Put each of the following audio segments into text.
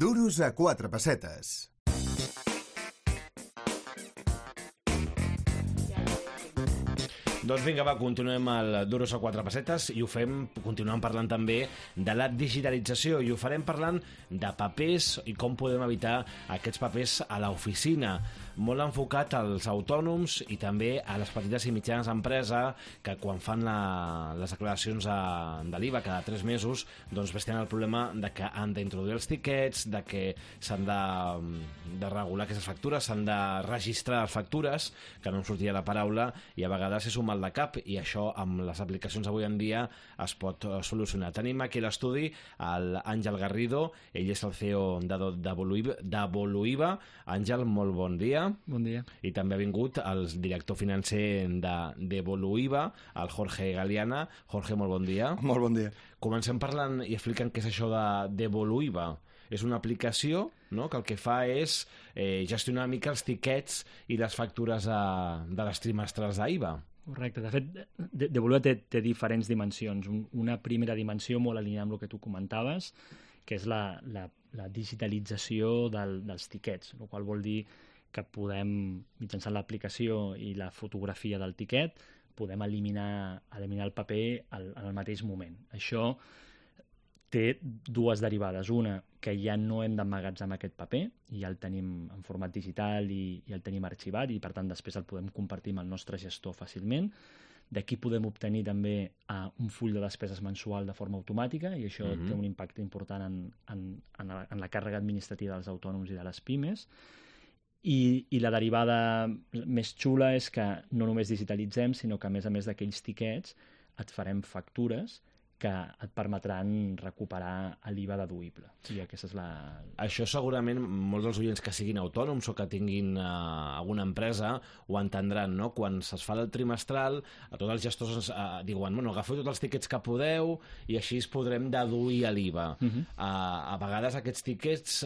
Duros a 4 pessetes. Doncs vinga, va, continuem el Duros a 4 pessetes i ho fem, continuem parlant també de la digitalització i ho farem parlant de papers i com podem evitar aquests papers a l'oficina, molt enfocat als autònoms i també a les petites i mitjanes empreses que quan fan les declaracions de l'IVA cada 3 mesos doncs tenen el problema de que han d'introduir els tiquets, de que s'han de regular aquestes factures, s'han de registrar les factures, que no em sortia la paraula, i a vegades és un mal de cap, i això amb les aplicacions avui en dia es pot solucionar. Tenim aquí a l'estudi l'Àngel Garrido, ell és el CEO d'Evoluiva. Àngel, molt bon dia. Bon dia. I també ha vingut el director financer d'Evoluiva, el Jorge Galeana. Jorge, molt bon dia. Molt bon dia. Comencem parlant i explicant què és això d'Evoluiva. És una aplicació, no?, que el que fa és gestionar una mica els tiquets i les factures de les trimestrals d'IVA. Correcte. De fet, Devoluiva té diferents dimensions. Una primera dimensió molt alineada amb el que tu comentaves, que és la digitalització dels tiquets, el qual vol dir que podem, mitjançant l'aplicació i la fotografia del tiquet, podem eliminar el paper en el mateix moment. Això té dues derivades. Una, que ja no hem d'emmagatzemar aquest paper, i ja el tenim en format digital i el tenim arxivat, i per tant després el podem compartir amb el nostre gestor fàcilment. D'aquí podem obtenir també un full de despeses mensual de forma automàtica, i això té un impacte important en la càrrega administrativa dels autònoms i de les pimes. I la derivada més xula és que no només digitalitzem, sinó que a més d'aquells tiquets et farem factures que et permetran recuperar l'IVA deduïble. I aquesta és Això segurament molts dels oients que siguin autònoms o que tinguin alguna empresa ho entendran, no? Quan es fa el trimestral, tots els gestors diuen, bueno, agafeu tots els tiquets que podeu i així podrem deduir l'IVA. A vegades aquests tiquets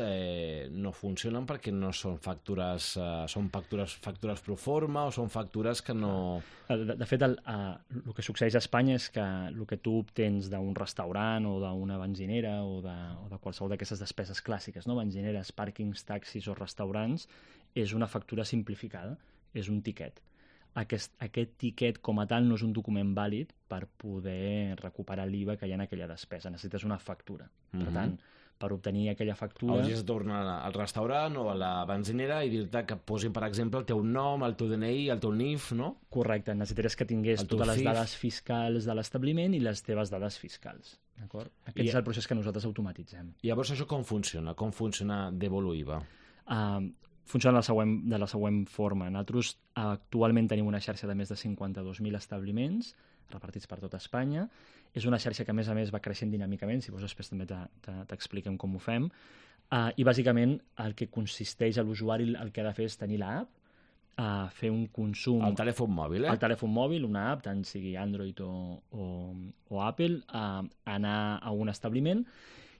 no funcionen perquè no són factures, són factures pro forma o són factures que no... De fet, el que succeeix a Espanya és que el que tu obtens d'un restaurant o d'una benzinera o de qualsevol d'aquestes despeses clàssiques, no? Benzineres, pàrquings, taxis o restaurants, és una factura simplificada, és un tiquet. Aquest tiquet com a tal no és un document vàlid per poder recuperar l'IVA que hi ha en aquella despesa. Necessites una factura. Per tant, per obtenir aquella factura... Hauries de tornar al restaurant o a la benzinera i dir-te que posin, per exemple, el teu nom, el teu DNI, el teu NIF, no? Correcte, necessitaries que tingués totes les dades fiscals de l'establiment i les teves dades fiscals. D'acord? Aquest és el procés que nosaltres automatitzem. I llavors això com funciona? Com funciona d'Evoluiva? Funciona de la següent forma. Nosaltres actualment tenim una xarxa de més de 52.000 establiments repartits per tot Espanya. És una xarxa que, a més, va creixent dinàmicament, si vols després també t'expliquem com ho fem. I, bàsicament, el que consisteix a l'usuari, el que ha de fer és tenir l'app, fer un consum... El telèfon mòbil, El telèfon mòbil, una app, tant sigui Android o Apple, anar a un establiment,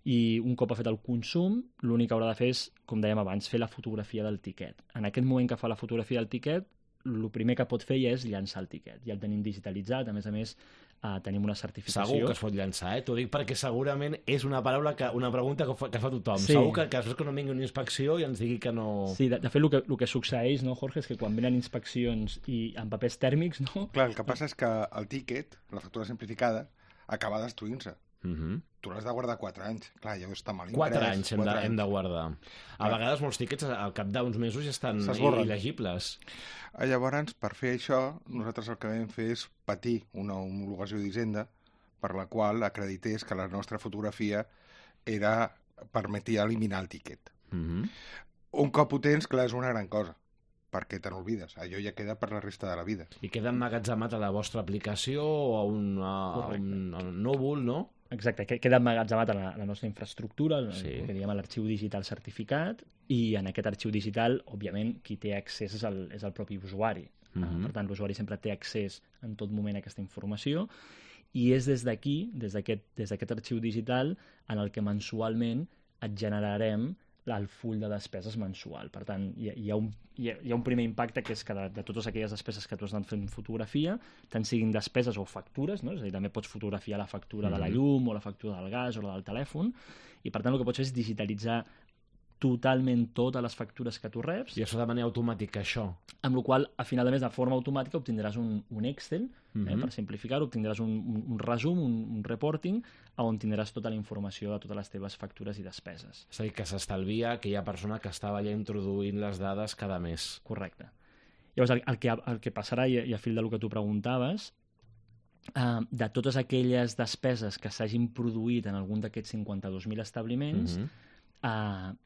i un cop ha fet el consum, l'únic que haurà de fer és, com dèiem abans, fer la fotografia del tiquet. En aquest moment que fa la fotografia del tiquet, el primer que pot fer ja és llançar el tiquet. Ja el tenim digitalitzat, a més, tenim una certificació. Segur que es pot llançar, T'ho dic perquè segurament és una pregunta que fa tothom. Sí. Segur que després que no vingui una inspecció i ens digui que no... Sí, de fet, el que succeeix, no, Jorge, és que quan venen inspeccions i amb papers tèrmics, no... Clar, el que passa és que el tíquet, la factura simplificada, acaba destruint-se. Tu l'has de guardar 4 anys. Clar, ja està mal imprès. 4 anys hem de guardar. A vegades molts tíquets al cap d'uns mesos ja estan il·legibles. Llavors, per fer això, nosaltres el que vam fer és patir una homologació d'Hisenda per la qual acredités que la nostra fotografia permetia eliminar el tíquet. Un cop ho tens, clar, és una gran cosa, perquè te n'olvides. Allò ja queda per la resta de la vida. I queda emmagatzemat a la vostra aplicació o a un núvol, no? Exacte, queda emmagatzemat a la nostra infraestructura, que diguem a l'arxiu digital certificat, i en aquest arxiu digital, òbviament, qui té accés és el propi usuari. Per tant, l'usuari sempre té accés en tot moment a aquesta informació, i és des d'aquí, des d'aquest arxiu digital, en el que mensualment et generarem el full de despeses mensual. Per tant, hi ha un primer impacte, que és que de totes aquelles despeses que tu has anat fent fotografia, tant siguin despeses o factures, no? És a dir, també pots fotografiar la factura de la llum o la factura del gas o la del telèfon, i per tant el que pots fer és digitalitzar totalment totes les factures que tu reps, I això de manera automàtica, això? amb la qual a final de mes, de forma automàtica, obtindràs un Excel, per simplificar-ho, obtindràs un resum, un reporting, on tindràs tota la informació de totes les teves factures i despeses. És a dir, que s'estalvia aquella persona que estava allà introduint les dades cada mes. Correcte. Llavors, el que passarà, i a fil del que tu preguntaves, de totes aquelles despeses que s'hagin produït en algun d'aquests 52.000 establiments,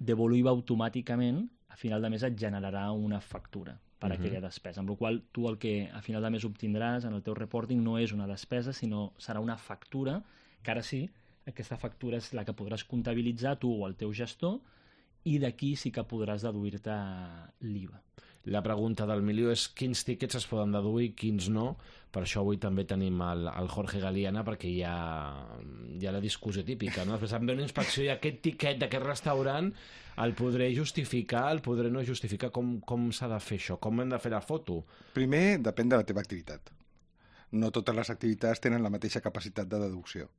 Devoluiva automàticament, a final de mes et generarà una factura per aquella despesa, amb la qual tu el que a final de mes obtindràs en el teu reporting no és una despesa, sinó serà una factura, que ara sí, aquesta factura és la que podràs comptabilitzar tu o el teu gestor, i d'aquí sí que podràs deduir-te l'IVA. La pregunta del milió és quins tíquets es poden deduir, quins no. Per això avui també tenim el Jorge Galiana, perquè hi ha la discussió típica, no? Després em ve una inspecció i aquest tiquet d'aquest restaurant el podré justificar, el podré no justificar. Com s'ha de fer això? Com hem de fer la foto? Primer, depèn de la teva activitat. No totes les activitats tenen la mateixa capacitat de deducció.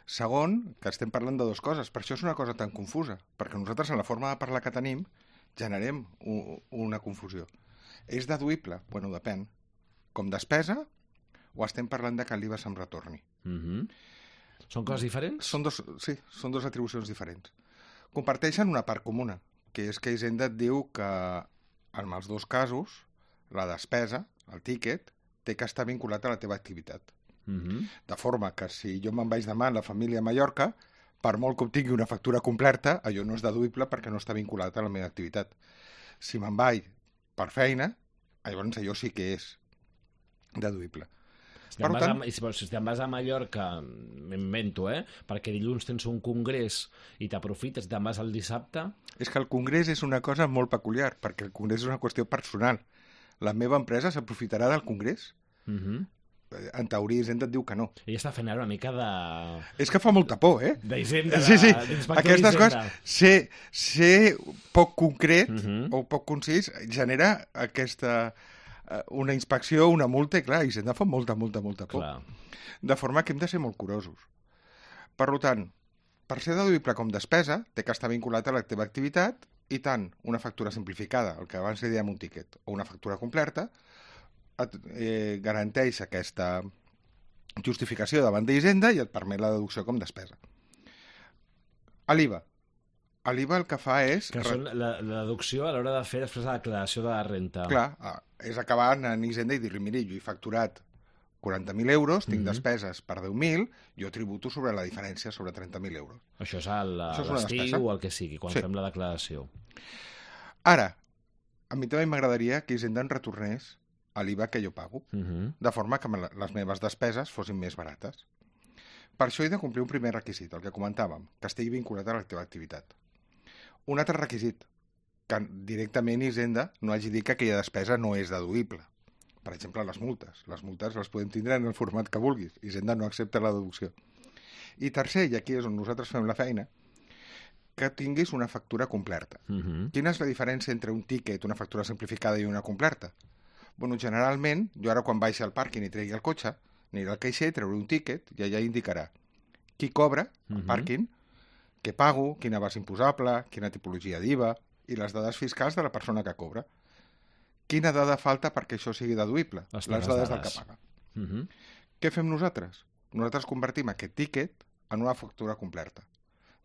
Segon, que estem parlant de dues coses. Per això és una cosa tan confusa, perquè nosaltres en la forma de parlar que tenim generem una confusió. És deduïble? Bueno, depèn. Com despesa o estem parlant de que l'IVA se'm retorni? Són coses diferents? Són dues atribucions diferents. Comparteixen una part comuna, que és que Hisenda et diu que en els dos casos la despesa, el tíquet, té que estar vinculat a la teva activitat. De forma que si jo me'n vaig demà a la família a Mallorca, per molt que obtingui una factura completa, allò no és deduïble perquè no està vinculat a la meva activitat. Si me'n vaig per feina, llavors allò sí que és deduïble. Si te'n vas a Mallorca, m'invento, perquè dilluns tens un congrés i t'aprofites, te'n vas el dissabte... És que el congrés és una cosa molt peculiar, perquè el congrés és una qüestió personal. La meva empresa s'aprofitarà del congrés? En teoria, Hisenda et diu que no. Ella està fent ara una mica de... És que fa molta por, d'Hisenda, sí. d'inspector Aquestes d'Hisenda. coses, ser poc concret o poc concís, genera una inspecció, una multa, i clar, Hisenda fa molta por. Clar. De forma que hem de ser molt curosos. Per tant, per ser deduïble com despesa, té que estar vinculat a la teva activitat, i tant una factura simplificada, el que abans li dèiem un tiquet, o una factura completa, garanteix aquesta justificació davant d'Hisenda i et permet la deducció com despesa. A l'IVA. A l'IVA el que fa és... Que són la deducció a l'hora de fer després la declaració de la renta. Clar, és acabar en Hisenda i dir-li, miri, jo he facturat 40.000 euros, tinc despeses per 10.000, jo tributo sobre la diferència, sobre 30.000 euros. Això és l'estiu o el que sigui, quan fem la declaració. Ara, a mi també m'agradaria que Hisenda en retornés a l'IVA que jo pago, de forma que les meves despeses fossin més barates. Per això he de complir un primer requisit, el que comentàvem, que estigui vinculat a la teva activitat. Un altre requisit, que directament Hisenda no hagi dit que aquella despesa no és deduïble. Per exemple, les multes. Les multes les podem tindre en el format que vulguis. Hisenda no accepta la deducció. I tercer, i aquí és on nosaltres fem la feina, que tinguis una factura completa. Quina és la diferència entre un tíquet, una factura simplificada i una completa? Bueno, generalment, jo ara quan baixi al pàrquing i tregui el cotxe, aniré al caixer, treuré un tíquet i allà indicarà qui cobra al pàrquing, què pago, quina base imposable, quina tipologia d'IVA i les dades fiscals de la persona que cobra. Quina dada falta perquè això sigui deduïble? Les dades del que paga. Què fem nosaltres? Nosaltres convertim aquest tíquet en una factura completa.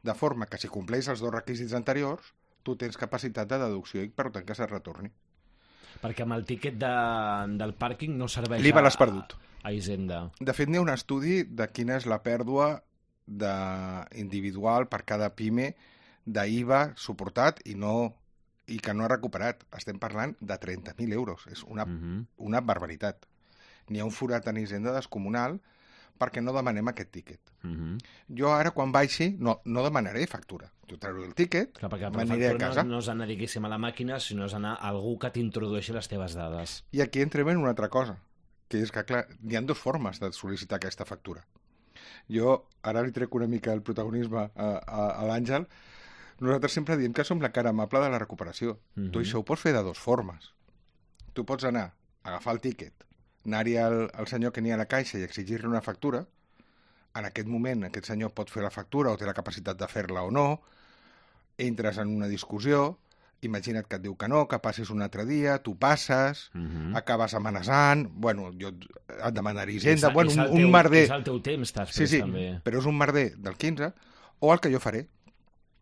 De forma que si compleix els dos requisits anteriors, tu tens capacitat de deducció i per tant que se't retorni. Perquè amb el tíquet del pàrquing no serveix l'IVA l'has perdut. A Hisenda. De fet, n'hi ha un estudi de quina és la pèrdua individual per cada PIME d'IVA suportat i que no ha recuperat. Estem parlant de 30.000 euros. És una barbaritat. N'hi ha un forat en Hisenda descomunal perquè no demanem aquest tíquet. Jo ara, quan baixi, no demanaré factura. Jo trauré el tíquet, m'aniré a casa. No és anar, diguéssim, a la màquina, sinó és anar a algú que t'introdueixi les teves dades. I aquí entrem en una altra cosa, que és que, clar, hi ha dues formes de sol·licitar aquesta factura. Jo ara li trec una mica el protagonisme a l'Àngel. Nosaltres sempre diem que som la cara amable de la recuperació. Tu això ho pots fer de dues formes. Tu pots anar a agafar el tíquet, anar-hi al senyor que n'hi ha a la caixa i exigir-li una factura. En aquest moment aquest senyor pot fer la factura o té la capacitat de fer-la o no, entres en una discussió, imagina't que et diu que no, que passis un altre dia, tu passes, acabes amenaçant, bueno, jo et demanaré hisenda, bueno, un merder... És el teu temps, sí, també. Però és un merder del 15, o el que jo faré.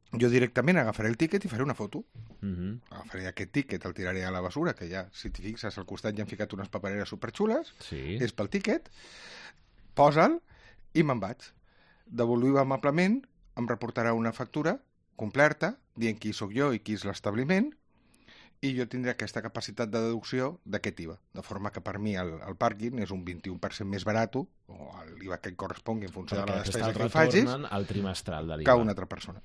Jo directament agafaré el tíquet i faré una foto. Agafaré aquest tíquet, el tiraré a la basura, que ja, si t'hi fixes, al costat ja han ficat unes papereres superxules, és pel tíquet, posa'l i me'n vaig. Devoluïu amablement, em reportarà una factura completa, dient qui sóc jo i qui és l'establiment, i jo tindré aquesta capacitat de deducció d'aquest IVA. De forma que per mi el pàrquing és un 21% més barat, o l'IVA que correspongui en funció de la despesa que facis, al trimestral de l'IVA. Que una altra persona.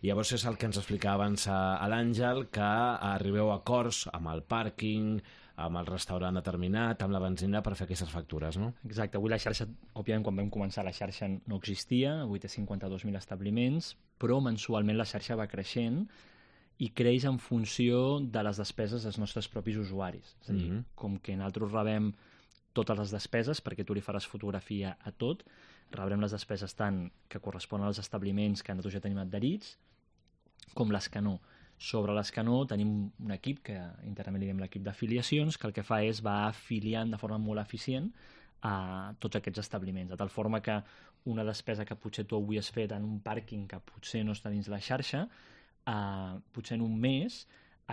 Llavors és el que ens explicava abans a l'Àngel, que arribeu a acords amb el pàrquing, amb el restaurant determinat, amb la benzina, per fer aquestes factures, no? Exacte. Avui la xarxa, òbviament, quan vam començar, la xarxa no existia, avui té 52.000 establiments, però mensualment la xarxa va creixent i creix en funció de les despeses dels nostres propis usuaris. És a dir, com que nosaltres rebem totes les despeses, perquè tu li faràs fotografia a tot, rebrem les despeses tant que corresponen als establiments que nosaltres ja tenim adherits, com les que no. Sobre les que no, tenim un equip, que internament li diem l'equip d'afiliacions, que el que fa és va afiliant de forma molt eficient a tots aquests establiments, de tal forma que una despesa que potser tu avui has fet en un pàrquing que potser no està dins la xarxa, potser en un mes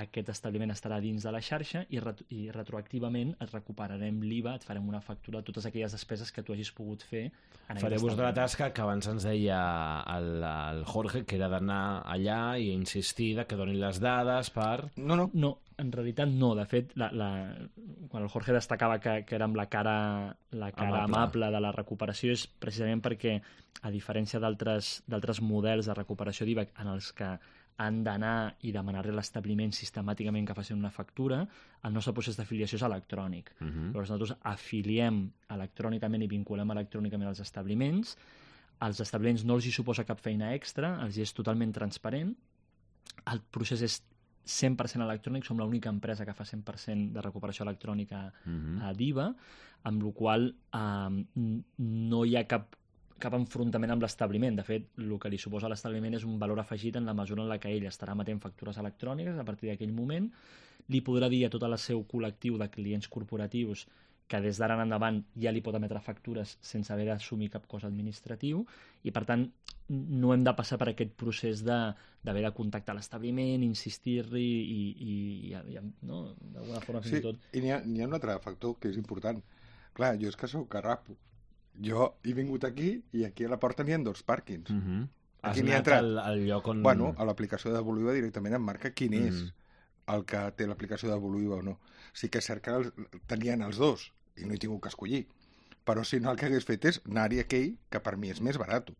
aquest establiment estarà dins de la xarxa i retroactivament et recuperarem l'IVA, et farem una factura de totes aquelles despeses que tu hagis pogut fer. Fareu-vos de la tasca que abans ens deia el Jorge, que era d'anar allà i insistir que donin les dades per... No, en realitat no. De fet, quan el Jorge destacava que érem la cara amable de la recuperació és precisament perquè, a diferència d'altres models de recuperació d'IVA en els que han d'anar i demanar-li a l'establiment sistemàticament que facin una factura, el nostre procés d'afiliació és electrònic. Llavors nosaltres afiliem electrònicament i vinculem electrònicament els establiments. Als establiments no els hi suposa cap feina extra, els hi és totalment transparent. El procés és 100% electrònic, som l'única empresa que fa 100% de recuperació electrònica d'IVA, amb la qual no hi ha cap enfrontament amb l'establiment. De fet, el que li suposa a l'establiment és un valor afegit en la mesura en la que ell estarà emetent factures electròniques a partir d'aquell moment, li podrà dir a tot el seu col·lectiu de clients corporatius que des d'ara en endavant ja li pot emetre factures sense haver d'assumir cap cost administratiu i, per tant, no hem de passar per aquest procés d'haver de contactar l'establiment, insistir-li i no? D'alguna forma fins i tot... I n'hi ha un altre factor que és important. Clar, jo és que sóc carrapo. Jo he vingut aquí i aquí a la porta n'hi ha 2 pàrquings. Has anat al lloc on... Bueno, a l'aplicació de Voluiva directament em marca quin és el que té l'aplicació de Voluiva o no. Sí que és cert que tenien els 2 i no he tingut que escollir. Però si no, el que hagués fet és anar-hi aquell que per mi és més barat.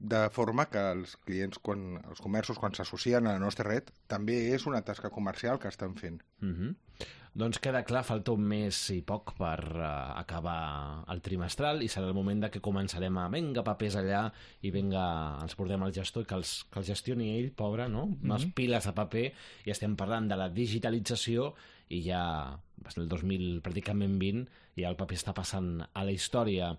De forma que els clients, els comerços, quan s'associen a la nostra red, també és una tasca comercial que estan fent. Doncs queda clar, falta un mes i poc per acabar el trimestral i serà el moment que començarem a vinga papers allà i vinga, ens portem al gestor i que els gestioni ell, pobre, no? Unes piles de paper, i estem parlant de la digitalització i ja el 2000, pràcticament 20, i el paper està passant a la història.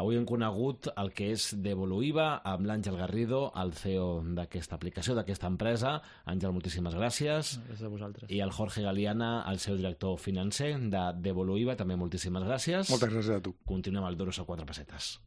Avui hem conegut el que és Devoluiva amb l'Àngel Garrido, el CEO d'aquesta aplicació, d'aquesta empresa. Àngel, moltíssimes gràcies. Gràcies a vosaltres. I el Jorge Galiana, el seu director financer de Devoluiva, també moltíssimes gràcies. Moltes gràcies a tu. Continuem al Duros a 4 pessetes.